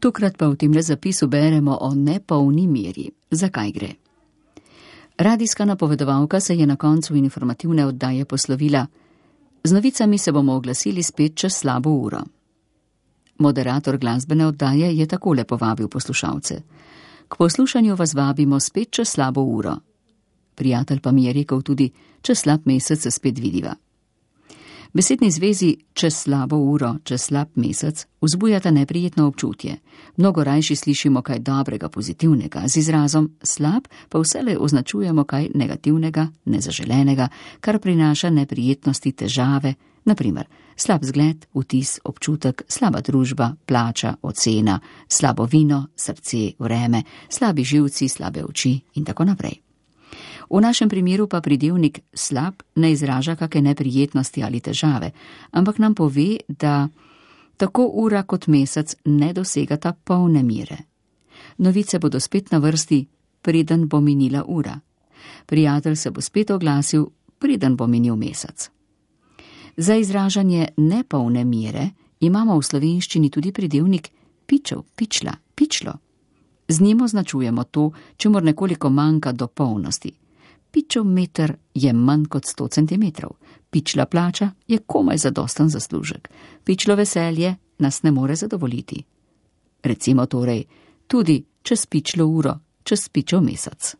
Tokrat pa v temle zapisu beremo o nepolni meri. Zakaj gre? Radijska napovedovalka se je na koncu informativne oddaje poslovila: z novicami se bomo oglasili spet čez slabo uro. Moderator glasbene oddaje je takole povabil poslušalce: k poslušanju vas vabimo spet čez slabo uro. Prijatelj pa mi je rekel tudi: čez slab mesec se spet vidiva. Besedni zvezi čez slabo uro, čez slab mesec vzbujata neprijetno občutje. Mnogo rajši slišimo kaj dobrega, pozitivnega, z izrazom slab pa vselej označujemo kaj negativnega, nezaželenega, kar prinaša neprijetnosti, težave, naprimer slab zgled, vtis, občutek, slaba družba, plača, ocena, slabo vino, srce, vreme, slabi živci, slabe oči in tako naprej. V našem primeru pa pridevnik slab ne izraža kakšne neprijetnosti ali težave, ampak nam pove, da tako ura kot mesec ne dosegata polne mire. Novice bodo spet na vrsti, preden bo minila ura. Prijatelj se bo spet oglasil, preden bo minil mesec. Za izražanje nepolne mire imamo v slovenščini tudi pridevnik pičev, pičla, pičlo. Z njim označujemo to, čemur nekoliko manjka do polnosti. Pičev meter je manj kot 100 centimetrov. Pičla plača je komaj zadosten zaslužek. Pičlo veselje nas ne more zadovoljiti. Recimo torej tudi čez pičlo uro, čez pičev mesec.